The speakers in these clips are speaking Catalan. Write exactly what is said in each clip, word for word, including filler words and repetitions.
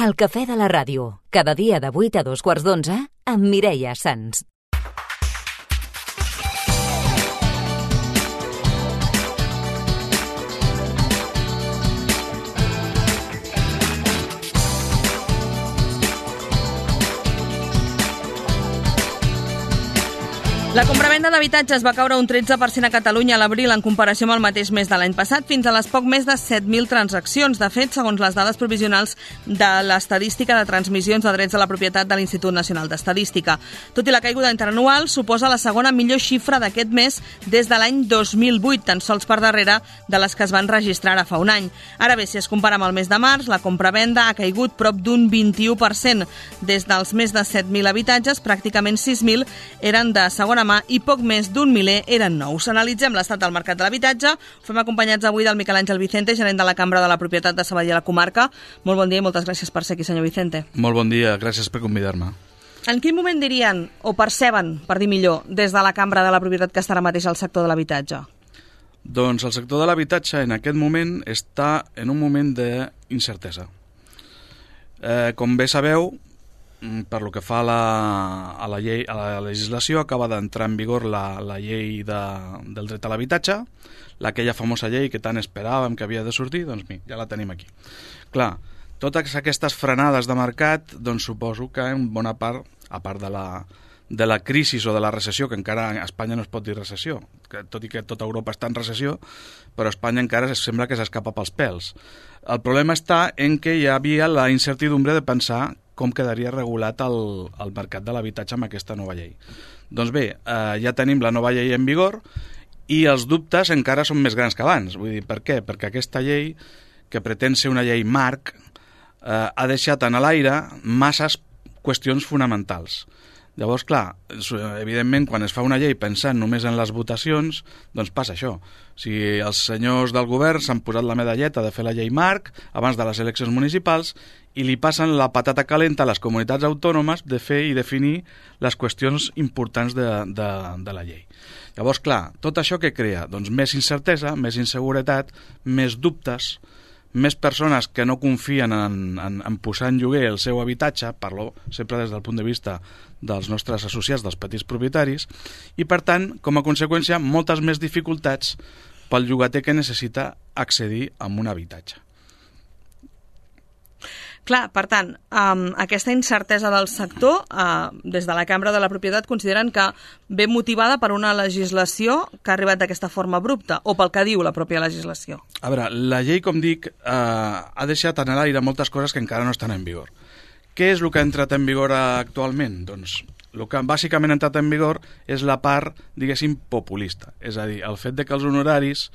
El cafè de la ràdio, cada dia de vuit a dos quarts d'onze, amb Mireia Sans. La compravenda d'habitatges va caure un tretze per cent a Catalunya a l'abril en comparació amb el mateix mes de l'any passat, fins a les poc més de set mil transaccions. De fet, segons les dades provisionals de l'Estadística de Transmissions de Drets de la Propietat de l'Institut Nacional d'Estadística. Tot i la caiguda interanual, suposa la segona millor xifra d'aquest mes des de l'any dos mil vuit, tan sols per darrere de les que es van registrar ara fa un any. Ara bé, si es compara amb el mes de març, la compravenda ha caigut prop d'un vint-i-u per cent. Des dels més de set mil habitatges, pràcticament sis mil eren de segona mà i poc més d'un miler eren nous. Analitzem l'estat del mercat de l'habitatge. Ho fem acompanyats avui del Miquel Àngel Vicente, gerent de la Cambra de la Propietat de Sabadell a la comarca. Molt bon dia i moltes gràcies per ser aquí, senyor Vicente. Molt bon dia, gràcies per convidar-me. En quin moment dirien, o perceben, per dir millor, des de la Cambra de la Propietat que està ara mateix al sector de l'habitatge? Doncs el sector de l'habitatge en aquest moment està en un moment d'incertesa. Eh, com bé sabeu, per lo que fa a la, a la, llei, a la legislació, acaba d'entrar en vigor la, la llei de, del dret a l'habitatge, aquella famosa llei que tant esperàvem que havia de sortir, doncs mira, ja la tenim aquí. Clar, totes aquestes frenades de mercat, doncs suposo que en bona part, a part de la, de la crisi o de la recessió, que encara a Espanya no es pot dir recessió, que, tot i que tota Europa està en recessió, però Espanya encara sembla que s'escapa pels pèls. El problema està en que hi havia la incertidumbre de pensar com quedaria regulat el, el mercat de l'habitatge amb aquesta nova llei. Doncs bé, eh, ja tenim la nova llei en vigor i els dubtes encara són més grans que abans. Vull dir, per què? Perquè aquesta llei, que pretén ser una llei marc, eh, ha deixat en l'aire masses qüestions fonamentals. Llavors, clar, evidentment, quan es fa una llei pensant només en les votacions, doncs passa això. Si els senyors del govern s'han posat la medalleta de fer la llei marc abans de les eleccions municipals i li passen la patata calenta a les comunitats autònomes de fer i definir les qüestions importants de, de, de la llei. Llavors, clar, tot això què crea? Doncs més incertesa, més inseguretat, més dubtes, més persones que no confien en, en, en posar en lloguer el seu habitatge, parlo sempre des del punt de vista dels nostres associats, dels petits propietaris, i per tant, com a conseqüència, moltes més dificultats pel llogater que necessita accedir a un habitatge. Clar, per tant, um, aquesta incertesa del sector, uh, des de la Cambra de la Propietat, consideren que ve motivada per una legislació que ha arribat d'aquesta forma abrupta, o pel que diu la pròpia legislació? A veure, la llei, com dic, eh, ha deixat en l'aire moltes coses que encara no estan en vigor. Què és el que ha entrat en vigor actualment? Doncs el que bàsicament ha entrat en vigor és la part, diguéssim, populista. És a dir, el fet de que els honoraris,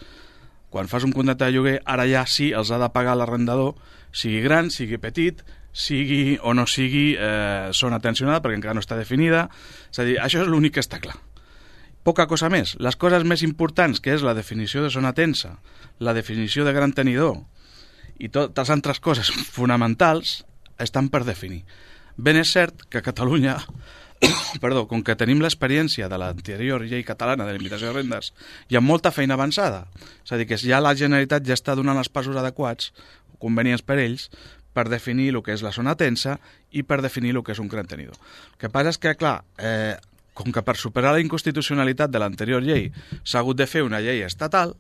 quan fas un contracte de lloguer, ara ja sí els ha de pagar l'arrendador, sigui gran, sigui petit, sigui o no sigui eh, zona tensionada, perquè encara no està definida. És a dir, això és l'únic que està clar. Poca cosa més. Les coses més importants, que és la definició de zona tensa, la definició de gran tenidor i totes altres coses fonamentals, estan per definir. Ben és cert que a Catalunya, perdó, com que tenim l'experiència de l'anterior llei catalana de limitació de rendes, hi ha molta feina avançada. És a dir, que ja la Generalitat ja està donant els passos adequats, convenients per ells, per definir el que és la zona tensa i per definir el que és un gran tenidor. El que passa és que, clar, eh, com que per superar la inconstitucionalitat de l'anterior llei s'ha hagut de fer una llei estatal,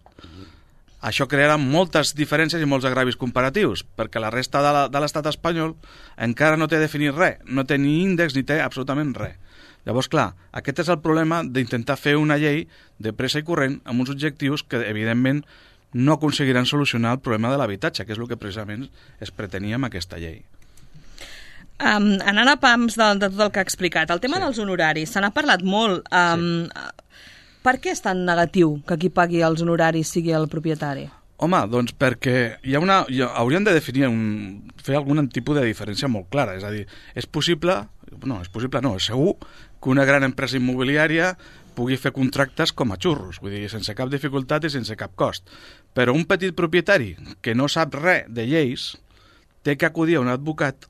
això crearà moltes diferències i molts agravis comparatius, perquè la resta de l'estat espanyol encara no té definit res, no té ni índex ni té absolutament res. Llavors, clar, aquest és el problema d'intentar fer una llei de pressa i corrent amb uns objectius que, evidentment, no aconseguiran solucionar el problema de l'habitatge, que és el que precisament es pretenia amb aquesta llei. Um, anant a pams de, de tot el que ha explicat, el tema sí. dels honoraris, se n'ha parlat molt. Um, sí. Per què és tan negatiu que qui pagui els honoraris sigui el propietari? Home, doncs perquè hi ha una, hi ha, hauríem de definir, un, fer algun tipus de diferència molt clara. És a dir, és possible, no, és possible no, és segur que una gran empresa immobiliària pugui fer contractes com a xurros, vull dir, sense cap dificultat i sense cap cost. Però un petit propietari que no sap res de lleis té que acudir a un advocat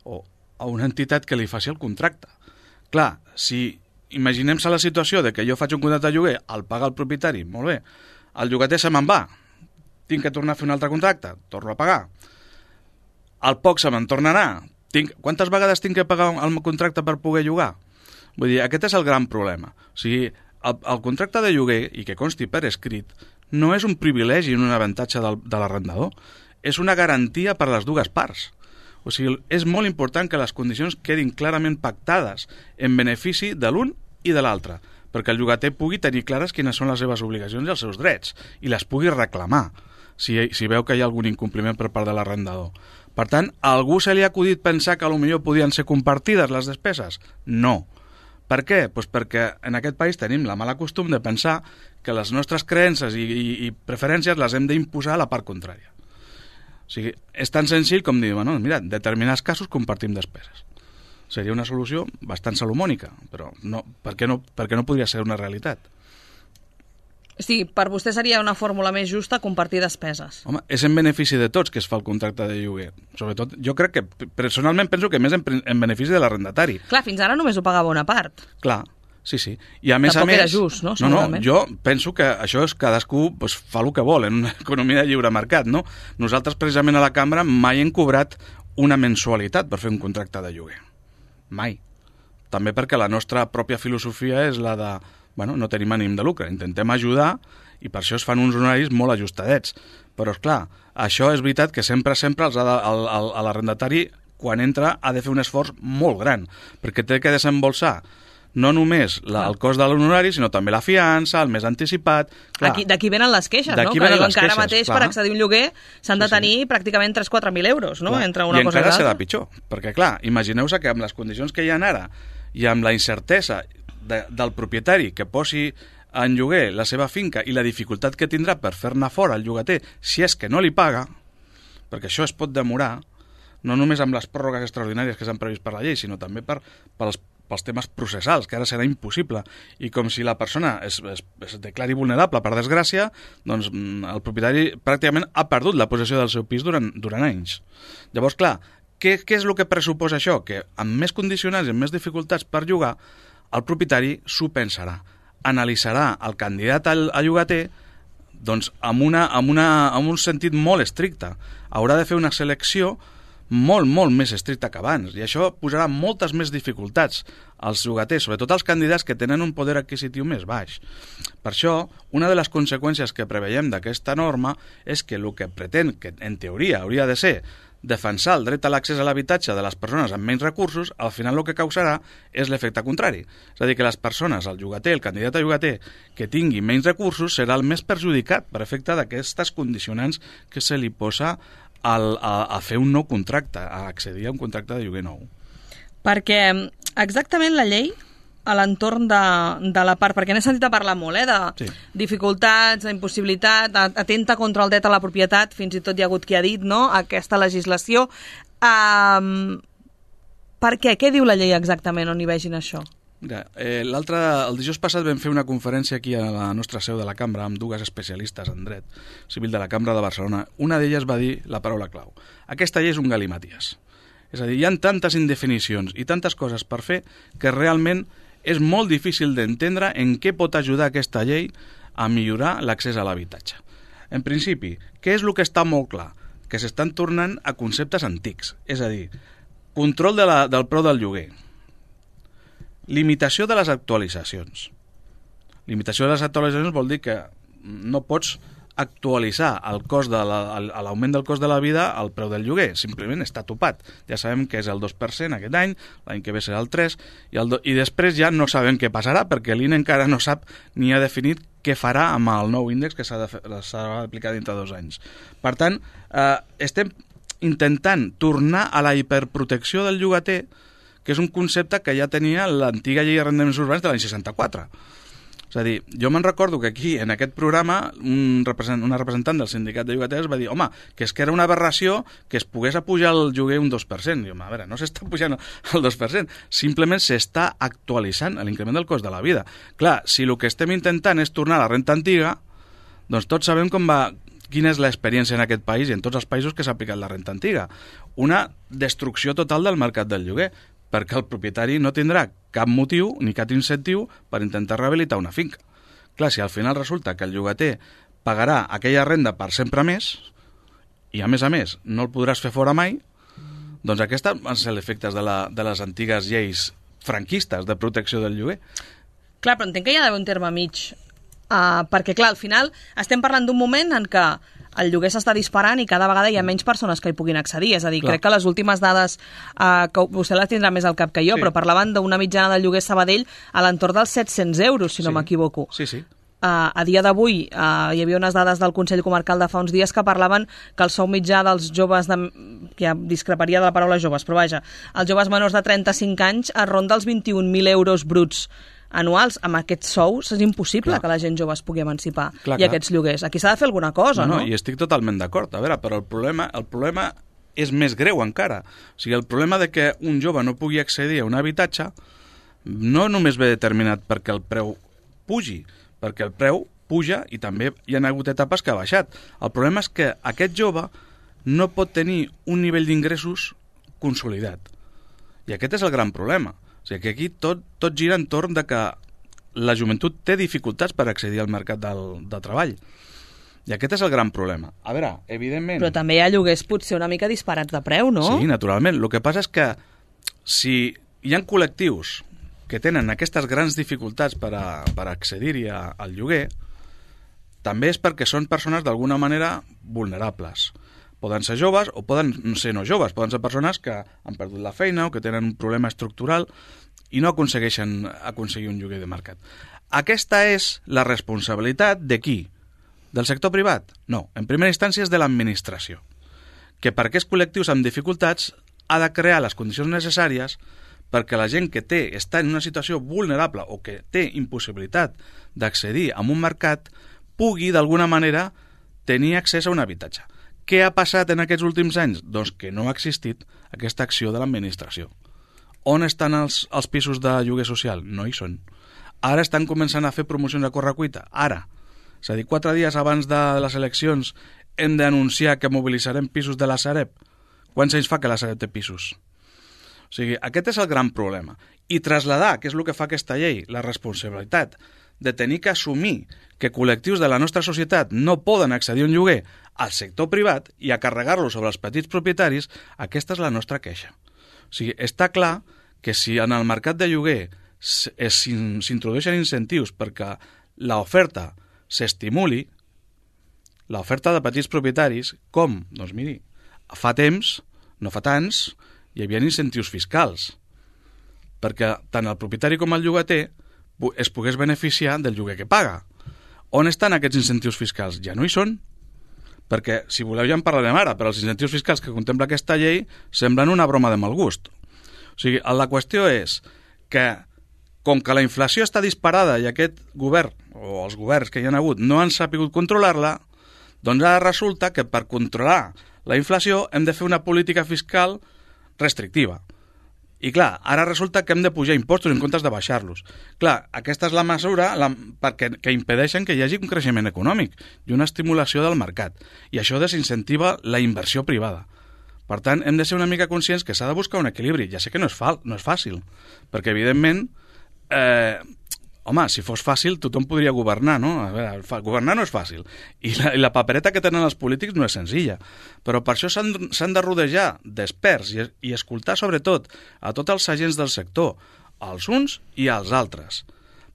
o a una entitat que li faci el contracte. Clar, si imaginem-se la situació de que jo faig un contracte de lloguer, el paga el propietari, molt bé, el llogater se me'n va, tinc que tornar a fer un altre contracte, torno a pagar. al poc se me'n tornarà. Tinc, quantes vegades tinc que pagar el contracte per poder llogar? Vull dir, aquest és el gran problema. O sigui, el, el contracte de lloguer, i que consti per escrit, no és un privilegi ni un avantatge del, de l'arrendador, és una garantia per a les dues parts. O sigui, és molt important que les condicions quedin clarament pactades en benefici de l'un i de l'altre, perquè el llogater pugui tenir clares quines són les seves obligacions i els seus drets, i les pugui reclamar, si, si veu que hi ha algun incompliment per part de l'arrendador. Per tant, a algú se li ha acudit pensar que potser podien ser compartides les despeses? No. Per què? Pues perquè en aquest país tenim la mala costum de pensar que les nostres creences i, i, i preferències les hem d'imposar a la part contrària. O sigui, és tan senzill com dir, bueno, mira, en determinats casos compartim despeses. Seria una solució bastant salomònica, però no, per què no, per què no podria ser una realitat? Sí, per vostè seria una fórmula més justa compartir despeses. Home, és en benefici de tots que es fa el contracte de lloguer. Sobretot, jo crec que, personalment, penso que més en, en benefici de l'arrendatari. Clar, fins ara només ho pagava una part. Clar, sí, sí. I a més Tampoc a més... era just, no? No, no, jo penso que això és cadascú pues, fa el que vol en una economia de lliure mercat, no? Nosaltres, precisament, a la cambra mai hem cobrat una mensualitat per fer un contracte de lloguer. Mai. També perquè la nostra pròpia filosofia és la de... Bueno, no tenim ànim de lucre, intentem ajudar i per això es fan uns honoraris molt ajustadets. Però, esclar, això és veritat que sempre, sempre els ha de, el, el, l'arrendatari, quan entra, ha de fer un esforç molt gran, perquè té que desembolsar no només la, el cost de l'honorari, sinó també la fiança, el més anticipat... Aquí, d'aquí venen les queixes, no? Que diuen que ara mateix clar. Per accedir a un lloguer s'han de tenir sí, sí. pràcticament tres a quatre mil euros, no? Clar. Entre una I cosa encara serà pitjor, perquè, clar, imagineu-se que amb les condicions que hi ha ara i amb la incertesa de, del propietari que posi en lloguer la seva finca i la dificultat que tindrà per fer-ne fora el llogater si és que no li paga, perquè això es pot demorar, no només amb les pròrrogues extraordinàries que s'han previst per la llei, sinó també per, pels, pels temes processals, que ara serà impossible. I com si la persona es, es, es declari vulnerable, per desgràcia, doncs el propietari pràcticament ha perdut la possessió del seu pis durant, durant anys. Llavors, clar, què, què és el que pressuposa això? Que amb més condicionants i amb més dificultats per llogar, el propietari s'ho pensarà, analitzarà el candidat al, a llogater doncs, amb, una, amb, una, amb un sentit molt estricte. Haurà de fer una selecció molt, molt més estricta que abans, i això posarà moltes més dificultats als llogaters, sobretot als candidats que tenen un poder adquisitiu més baix. Per això, una de les conseqüències que preveiem d'aquesta norma és que el que pretén, que en teoria hauria de ser defensar el dret a l'accés a l'habitatge de les persones amb menys recursos, al final el que causarà és l'efecte contrari. És a dir, que les persones, el llogater, el candidat a llogater, que tingui menys recursos, serà el més perjudicat per efecte d'aquestes condicionants que se li posa al, a, a fer un nou contracte, a accedir a un contracte de lloguer nou. Perquè exactament la llei a l'entorn de, de la part, perquè n'he sentit a parlar molt, eh, de sí. dificultats, d'impossibilitat, atenta contra el dret a la propietat, fins i tot hi ha hagut qui ha dit, no?, aquesta legislació. Um, per què? Què diu la llei exactament on hi vegin això? Mira, eh, l'altre, el dijous passat vam fer una conferència aquí a la nostra seu de la cambra amb dues especialistes en dret civil de la Cambra de Barcelona. Una d'elles va dir la paraula clau. Aquesta llei és un galimaties. És a dir, hi ha tantes indefinicions i tantes coses per fer que realment és molt difícil d'entendre en què pot ajudar aquesta llei a millorar l'accés a l'habitatge. En principi, què és el que està molt clar? Que s'estan tornant a conceptes antics, és a dir, control de la, del preu del lloguer, limitació de les actualitzacions. Limitació de les actualitzacions vol dir que no pots actualitzar el cost de la, l'augment del cost de la vida al preu del lloguer, simplement està topat. Ja sabem que és el dos per cent aquest any, l'any que ve serà el tres per cent, i, el do, i després ja no sabem què passarà perquè l'I N E encara no sap ni ha definit què farà amb el nou índex que s'ha d'aplicar dintre dos anys. Per tant, eh, estem intentant tornar a la hiperprotecció del llogater, que és un concepte que ja tenia l'antiga llei d'arrendaments urbans de l'any seixanta-quatre. És a dir, jo me'n recordo que aquí, en aquest programa, un representant, una representant del sindicat de llogaters va dir, home, que és que era una aberració que es pogués apujar el lloguer un dos per cent. I, home, a veure, no s'està pujant el dos per cent, simplement s'està actualitzant l'increment del cost de la vida. Clar, si el que estem intentant és tornar a la renta antiga, doncs tots sabem com va, quina és l'experiència en aquest país i en tots els països que s'ha aplicat la renta antiga. Una destrucció total del mercat del lloguer, perquè el propietari no tindrà cap motiu ni cap incentiu per intentar rehabilitar una finca. Clar, si al final resulta que el llogater pagarà aquella renda per sempre més, i a més a més no el podràs fer fora mai, Doncs aquests van ser els efectes de, la, de les antigues lleis franquistes de protecció del lloguer. Clar, però entenc que hi ha d'haver un terme mig, uh, perquè clar, al final estem parlant d'un moment en què el lloguer s'està disparant i cada vegada hi ha menys persones que hi puguin accedir. És a dir, clar, crec que les últimes dades, eh, que vostè les tindrà més al cap que jo, sí, però parlaven d'una mitjana del lloguer Sabadell a l'entorn dels set-cents euros, si sí, no m'equivoco. Sí, sí. Uh, a dia d'avui uh, hi havia unes dades del Consell Comarcal de fa uns dies que parlaven que el sou mitjà dels joves, de, que ja discreparia de la paraula joves, però vaja, els joves menors de trenta-cinc anys es ronda els vint-i-un mil euros bruts anuals. Amb aquests sous és impossible, clar, que la gent jove es pugui emancipar, clar, i clar, aquests lloguers. Aquí s'ha de fer alguna cosa, no? No, no, i estic totalment d'acord. A veure, però el problema, el problema és més greu encara. O sigui, el problema de que un jove no pugui accedir a un habitatge no només ve determinat perquè el preu pugi, perquè el preu puja i també hi ha hagut etapes que ha baixat. El problema és que aquest jove no pot tenir un nivell d'ingressos consolidat. I aquest és el gran problema. O sigui que aquí tot, tot gira entorn de que la joventut té dificultats per accedir al mercat del, del treball. I aquest és el gran problema. A veure, evidentment... Però també hi ha lloguers potser una mica disparats de preu, no? Sí, naturalment. El que passa és que si hi ha col·lectius que tenen aquestes grans dificultats per, a, per accedir-hi al lloguer, també és perquè són persones d'alguna manera vulnerables. Poden ser joves o poden ser no joves, poden ser persones que han perdut la feina o que tenen un problema estructural i no aconsegueixen aconseguir un lloguer de mercat. Aquesta és la responsabilitat de qui? Del sector privat? No, en primera instància és de l'administració, que per aquests col·lectius amb dificultats ha de crear les condicions necessàries perquè la gent que té està en una situació vulnerable o que té impossibilitat d'accedir a un mercat pugui d'alguna manera tenir accés a un habitatge. Què ha passat en aquests últims anys? Doncs que no ha existit aquesta acció de l'administració. On estan els, els pisos de lloguer social? No hi són. Ara estan començant a fer promocions a correcuita. Ara. És a dir, quatre dies abans de les eleccions hem d'anunciar que mobilitzarem pisos de la Sareb. Quants anys fa que la Sareb té pisos? O sigui, aquest és el gran problema. I traslladar, que és el que fa aquesta llei, la responsabilitat de tenir que assumir que col·lectius de la nostra societat no poden accedir a un lloguer al sector privat i a carregar-lo sobre els petits propietaris, aquesta és la nostra queixa. O sigui, està clar que si en el mercat de lloguer s'introdueixen incentius perquè l'oferta s'estimuli, l'oferta de petits propietaris, com? Doncs miri, fa temps, no fa tants, hi havia incentius fiscals, perquè tant el propietari com el llogater es pogués beneficiar del lloguer que paga. On estan aquests incentius fiscals? Ja no hi són. Perquè, si voleu, ja en parlarem ara, però els incentius fiscals que contempla aquesta llei semblen una broma de mal gust. O sigui, la qüestió és que, com que la inflació està disparada i aquest govern, o els governs que hi ha hagut, no han sapigut controlar-la, doncs ara resulta que per controlar la inflació hem de fer una política fiscal restrictiva. I clar, ara resulta que hem de pujar impostos en comptes de baixar-los. Clar, aquesta és la mesura la, perquè, que impedeixen que hi hagi un creixement econòmic i una estimulació del mercat. I això desincentiva la inversió privada. Per tant, hem de ser una mica conscients que s'ha de buscar un equilibri. Ja sé que no és, fa, no és fàcil, perquè evidentment, eh, home, si fos fàcil tothom podria governar, no? A veure, governar no és fàcil. I la, i la papereta que tenen els polítics no és senzilla. Però per això s'han de rodejar d'experts i, i escoltar sobretot a tots els agents del sector, als uns i als altres,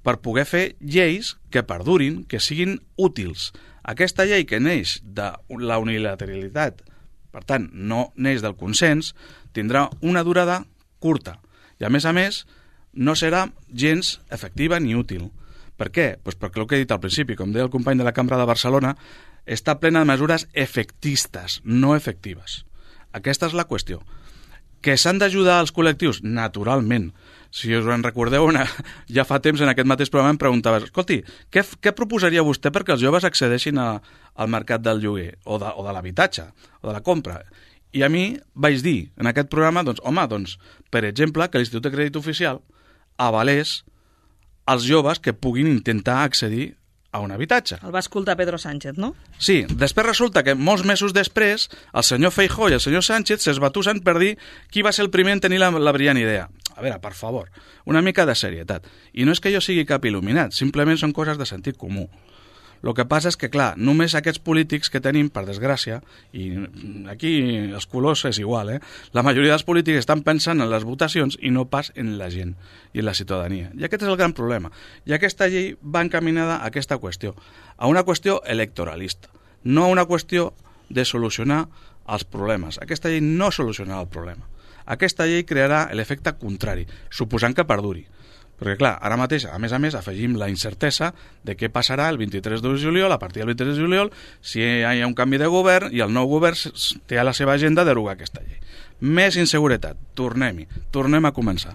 per poder fer lleis que perdurin, que siguin útils. Aquesta llei que neix de la unilateralitat, per tant, no neix del consens, tindrà una durada curta. I a més a més, no serà gens efectiva ni útil. Per què? Pues perquè el que he dit al principi, com deia el company de la Cambra de Barcelona, està plena de mesures efectistes, no efectives. Aquesta és la qüestió. Que s'han d'ajudar els col·lectius? Naturalment. Si us en recordeu, una, ja fa temps en aquest mateix programa em preguntaves, escolti, què, què proposaria vostè perquè els joves accedeixin a, al mercat del lloguer o de, o de l'habitatge o de la compra? I a mi vaig dir en aquest programa, doncs, home, doncs, per exemple, que l'Institut de Crèdit Oficial avalés els joves que puguin intentar accedir a un habitatge. El va escoltar Pedro Sánchez, no? Sí, després resulta que molts mesos després el senyor Feijóo i el senyor Sánchez s'esbatussen per dir qui va ser el primer en tenir la, la brillant idea. A veure, per favor, una mica de serietat. I no és que jo sigui cap il·luminat, simplement són coses de sentit comú. El que passa és que, clar, només aquests polítics que tenim, per desgràcia, i aquí els colors és igual, eh? La majoria dels polítics estan pensant en les votacions i no pas en la gent i en la ciutadania. I aquest és el gran problema. I aquesta llei va encaminada a aquesta qüestió, a una qüestió electoralista, no a una qüestió de solucionar els problemes. Aquesta llei no solucionarà el problema. Aquesta llei crearà l'efecte contrari, suposant que perduri. Perquè, clar, ara mateix, a més a més, afegim la incertesa de què passarà el vint-i-tres de juliol, a partir del vint-i-tres de juliol, si hi ha un canvi de govern i el nou govern té a la seva agenda derogar aquesta llei. Més inseguretat. Tornem-hi. Tornem a començar.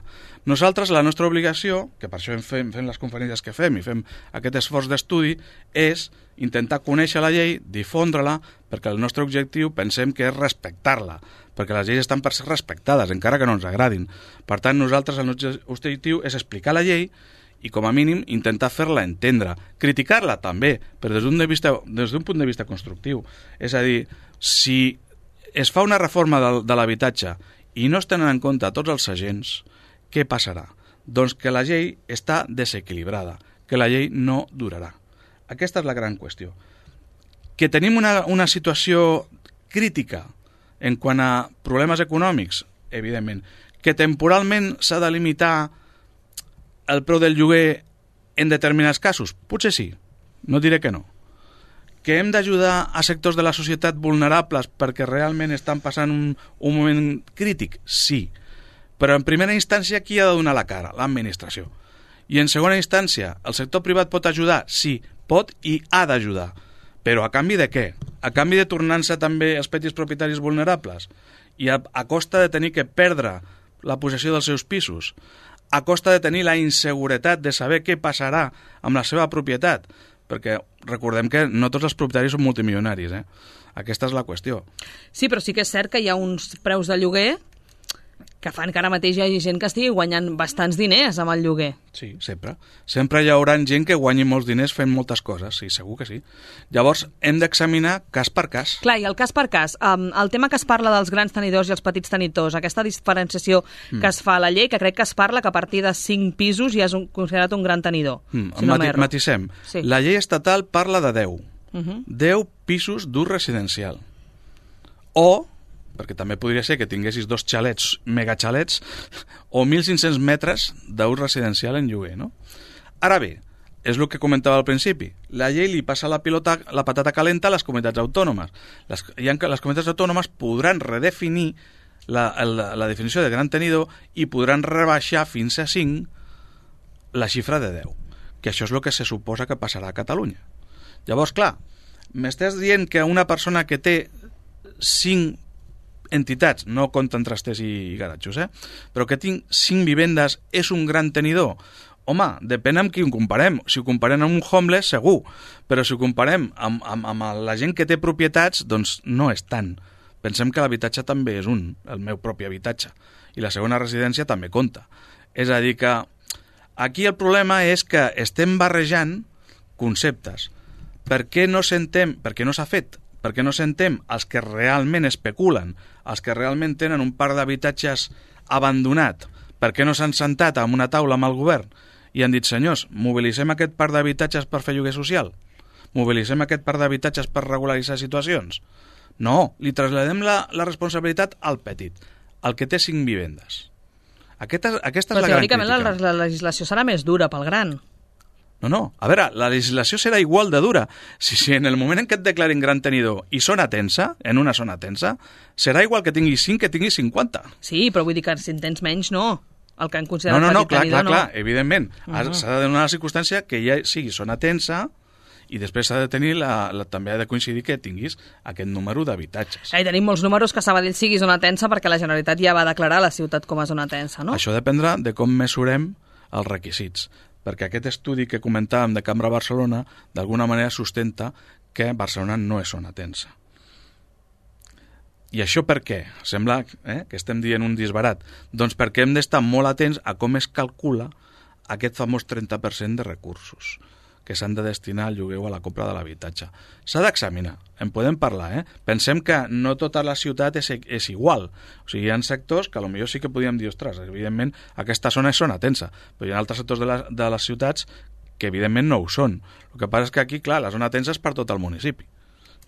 Nosaltres, la nostra obligació, que per això fem, fem les conferències que fem i fem aquest esforç d'estudi, és intentar conèixer la llei, difondre-la, perquè el nostre objectiu pensem que és respectar-la, perquè les lleis estan per ser respectades, encara que no ens agradin. Per tant, nosaltres el nostre objectiu és explicar la llei i, com a mínim, intentar fer-la entendre. Criticar-la també, però des d'un de vista, des d'un punt de vista constructiu. És a dir, si es fa una reforma de, de l'habitatge i no es tenen en compte tots els agents, què passarà? Doncs que la llei està desequilibrada, que la llei no durarà. Aquesta és la gran qüestió. Que tenim una, una situació crítica en quant a problemes econòmics, evidentment. Que temporalment s'ha de limitar el preu del lloguer en determinats casos? Potser sí, no diré que no. Que hem d'ajudar a sectors de la societat vulnerables perquè realment estan passant un, un moment crític? Sí. Però en primera instància, qui ha de donar la cara? L'administració. I en segona instància, el sector privat pot ajudar? Sí, pot i ha d'ajudar. Però a canvi de què? A canvi de tornar-se també els petits propietaris vulnerables? I a, a costa de tenir que perdre la possessió dels seus pisos? A costa de tenir la inseguretat de saber què passarà amb la seva propietat? Perquè recordem que no tots els propietaris són multimilionaris, eh? Aquesta és la qüestió. Sí, però sí que és cert que hi ha uns preus de lloguer que fan que ara mateix hi hagi gent que estigui guanyant bastants diners amb el lloguer. Sí, sempre. Sempre hi haurà gent que guanyi molts diners fent moltes coses, sí, segur que sí. Llavors, hem d'examinar cas per cas. Clar, i el cas per cas, um, el tema que es parla dels grans tenidors i els petits tenidors, aquesta diferenciació mm. que es fa a la llei, que crec que es parla que a partir de cinc pisos ja és un, considerat un gran tenidor. Mm. Si no Mati matissem. Sí. La llei estatal parla de deu. Uh -huh. deu pisos d'ús residencial. O perquè també podria ser que tinguessis dos xalets, megaxalets, o mil cinc-cents metres d'ús residencial en lloguer, no? Ara bé, és el que comentava al principi, la llei li passa la pilota, la patata calenta a les comunitats autònomes. Les, les comunitats autònomes podran redefinir la, la, la definició de gran tenidor i podran rebaixar fins a cinc la xifra de deu, que això és el que se suposa que passarà a Catalunya. Llavors, clar, m'estàs dient que una persona que té cinc entitats, no compten trasters i garatjos, eh? però que tinc cinc vivendes és un gran tenidor? Home, depèn amb qui ho comparem. Si ho comparem amb un homeless, segur, però si ho comparem amb, amb, amb la gent que té propietats, doncs no és tant. Pensem que l'habitatge també és un, el meu propi habitatge, i la segona residència també compta. És a dir que aquí el problema és que estem barrejant conceptes. Per què no sentem, per què no s'ha fet? Perquè no sentem els que realment especulen, els que realment tenen un parc d'habitatges abandonat, per què no s'han sentat amb una taula amb el govern i han dit, senyors, mobilitzem aquest parc d'habitatges per fer lloguer social? Mobilitzem aquest parc d'habitatges per regularitzar situacions? No, li traslladem la, la responsabilitat al petit, al que té cinc vivendes. Aquesta, aquesta és la gran crítica. Però teòricament la, la legislació serà més dura pel gran. No, no. A veure, la legislació serà igual de dura. Si, si en el moment en què et declarin gran tenidor i zona tensa, en una zona tensa, serà igual que tinguis cinc que tinguis cinquanta. Sí, però vull dir que si en tens menys, no. El que han considerat no, no, no, petit clar, tenidor, clar, no. Clar, evidentment. Uh -huh. S'ha de donar la circumstància que ja sigui zona tensa i després s'ha de tenir la, la, també ha de coincidir que tinguis aquest número d'habitatges. I tenim molts números que Sabadell sigui zona tensa perquè la Generalitat ja va declarar la ciutat com a zona tensa, no? Això dependrà de com mesurem els requisits, perquè aquest estudi que comentàvem de Cambra Barcelona d'alguna manera sustenta que Barcelona no és zona tensa. I això per què? Sembla eh, que estem dient un disbarat. Doncs perquè hem d'estar molt atents a com es calcula aquest famós trenta per cent de recursos que s'han de destinar al lloguer o a la compra de l'habitatge. S'ha d'examinar, en podem parlar, eh? Pensem que no tota la ciutat és, és igual. O sigui, hi ha sectors que potser sí que podríem dir, ostres, evidentment aquesta zona és zona tensa, però hi ha altres sectors de, la, de les ciutats que evidentment no ho són. El que passa és que aquí, clar, la zona tensa és per tot el municipi.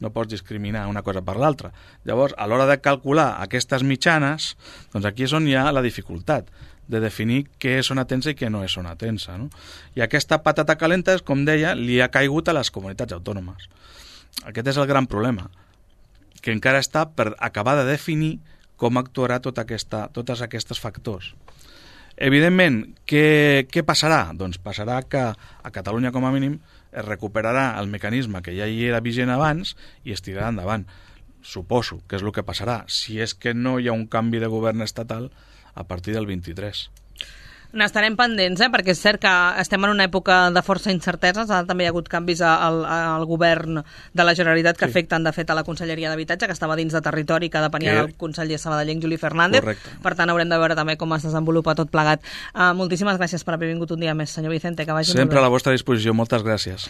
No pots discriminar una cosa per l'altra. Llavors, a l'hora de calcular aquestes mitjanes, doncs aquí és on hi ha la dificultat de definir què és zona tensa i què no és zona tensa, no? I aquesta patata calenta, com deia, li ha caigut a les comunitats autònomes. Aquest és el gran problema, que encara està per acabar de definir com actuarà tota aquesta, tots aquests factors. Evidentment, què, què passarà? Doncs passarà que a Catalunya, com a mínim, es recuperarà el mecanisme que ja hi era vigent abans i es tirarà endavant. Suposo que és el que passarà, si és que no hi ha un canvi de govern estatal a partir del vint-i-tres. N'estarem pendents, eh? Perquè és cert que estem en una època de força incerteses, ara també hi ha hagut canvis al, al govern de la Generalitat que sí. afecten, de fet, a la Conselleria d'Habitatge, que estava dins de territori, que depenia que... del conseller sabadellenc Juli Fernández. Correcte. Per tant, haurem de veure també com es desenvolupa tot plegat. Uh, moltíssimes gràcies per haver vingut un dia més, senyor Vicente, que vagi Sempre molt bé. A la vostra disposició, moltes gràcies.